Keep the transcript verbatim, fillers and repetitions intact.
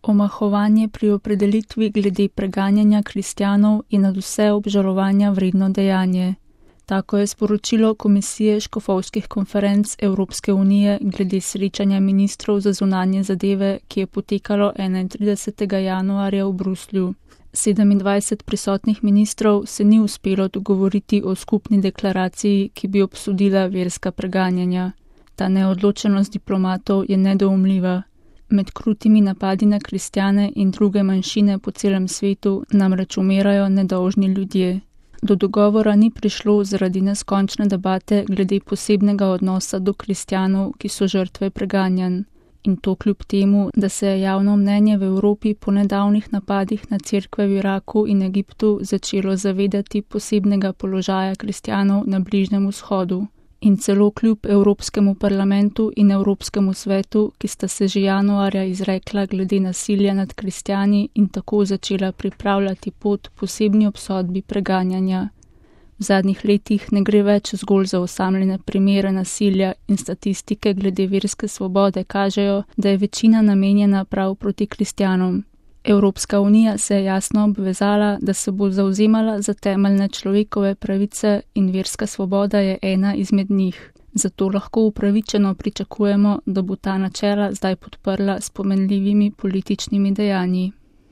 Omahovanje pri opredelitvi glede preganjanja kristjanov je nadvse obžalovanja vredno dejanje. Tako je sporočilo Komisije škofovskih konferenc Evropske unije glede srečanja ministrov za zunanje zadeve, ki je potekalo enaintridesetega januarja v Bruslju. sedemindvajset prisotnih ministrov se ni uspelo dogovoriti o skupni deklaraciji, ki bi obsodila verska preganjanja. Ta neodločenost diplomatov je nedoumljiva. Med krutimi napadi na kristjane in druge manjšine po celem svetu namreč umirajo nedolžni ljudje. Do dogovora ni prišlo zaradi neskončne debate glede posebnega odnosa do kristjanov, ki so žrtve preganjanj. In to kljub temu, da se je javno mnenje v Evropi po nedavnih napadih na cerkve v Iraku in Egiptu začelo zavedati posebnega položaja kristjanov na Bližnjem vzhodu. In celo kljub Evropskemu parlamentu in Evropskemu svetu, ki sta se že januarja izrekla glede nasilja nad kristjani in tako začela pripravljati pot posebni obsodbi preganjanja. V zadnjih letih ne gre več zgolj za osamljene primere nasilja in statistike glede verske svobode kažejo, da je večina namenjena prav proti kristjanom. Evropska unija se je jasno obvezala, da se bo zavzemala za temeljne človekove pravice in verska svoboda je ena izmed njih. Zato lahko upravičeno pričakujemo, da bo ta načela zdaj podprla s pomenljivimi političnimi dejanji.